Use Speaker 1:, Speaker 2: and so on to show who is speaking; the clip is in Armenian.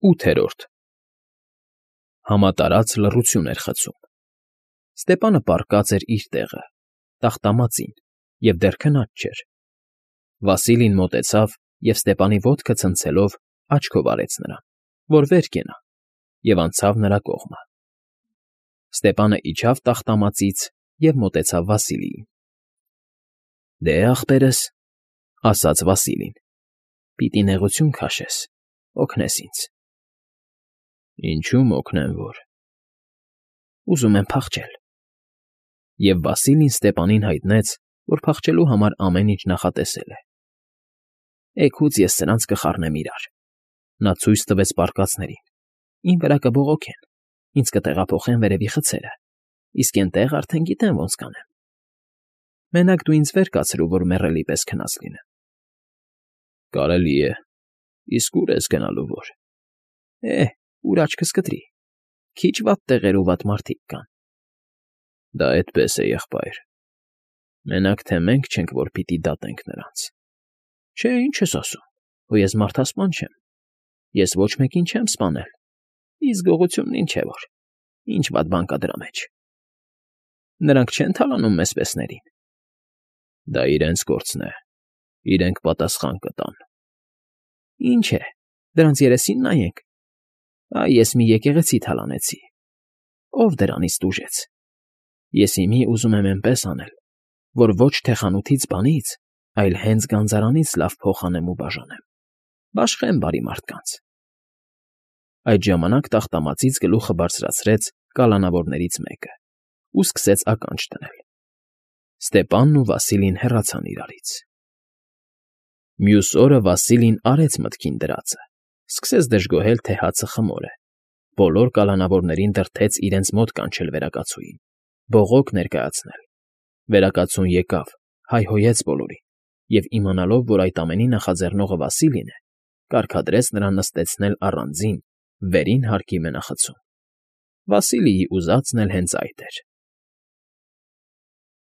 Speaker 1: 8-րդ Համատարած լռություն էր խցում։ Ստեպանը պառկած էր իր տեղը, տախտամածին, և դեռ քնած չէր։ Վասիլին մոտեցավ և Ստեպանի ոտքը ցնցելով աչքով արեց նրան, որ վեր կենա, և անցավ նրա կողմը։ Ստեպանը իջավ տախտամածից և մոտեցավ Վասիլիին։ ֊ Դե, ախպերս,֊ ասաց Վասիլին,֊ պիտի նեղություն քաշես, օգնես ինձ։ ֊ Ինչում օգնեմ որ։ ֊ Ուզում եմ փախչել։ Եվ Վասիլին Ստեպանին հայտնեց, որ փախչելու համար ամեն ինչ նախատեսել է։ Էգուց ես սրանց կխառնեմ իրար,֊ նա ցույց տվեց պառկածներին,֊ իմ վրա կբողոքեն, ինձ կտեղափոխեն վերևի խցերը, իսկ էնտեղ արդեն գիտեմ ոնց կանեմ։ Մենակ դու ինձ վեր կացրու, որ մեռելի պես քնած լինեմ։ ֊ Կարելի է, իսկ ուր ես գնալու որ։ ֊ Ուր աչքս կտրի, քիչ վատ տեղեր ու վատ մարդիկ կան։ ֊ Դա այդպես է, եղբայր, մենակ թե մենք չենք, որ պիտի դատենք նրանց։ ֊ Չէ, ինչ ես ասում, հո ես մարդասպան չեմ, ես ոչ մեկին չեմ սպանել, իսկ գողությունն ինչ է որ, ինչ վատ բան կա դրա մեջ։ Նրանք չեն թալանում մեզ պեսներին։ ֊ Դա իրենց գործն է, իրենք պատասխան կտան։ ֊ Ինչ է, դրանց երեսին նայենք։ Ես մի եկեղեցի թալանեցի։ Ո՞վ դրանից տուժեց։ Ես հիմի ուզում եմ էնպես անել, որ ոչ թե խանութից բանից, այլ հենց գանձարանից լավ փող անեմ ու բաժանեմ, բաշխեմ բարի մարդկանց։ Այդ ժամանակ տախտամածից գլուխը բարձրացրեց կալանավորներից մեկը ու սկսեց ականջ դնել։ Ստեպանն ու Վասիլին հեռացան իրարից։ Մյուս օրը Վասիլին արեց մտքին դրածը, սկսեց դժգոհել, թե հացը խմոր է, բոլոր կալանավորներին դրդեց իրենց մոտ կանչել վերակացուին, բողոք ներկայացնել։ Վերակացուն եկավ, հայհոյեց բոլորին և, իմանալով, որ այդ ամենի նախաձեռնողը Վասիլին է, կարգադրեց նրան նստեցնել առանձին, վերին հարկի մենախցում։ Վասիլիի ուզածն էլ հենց այդ էր։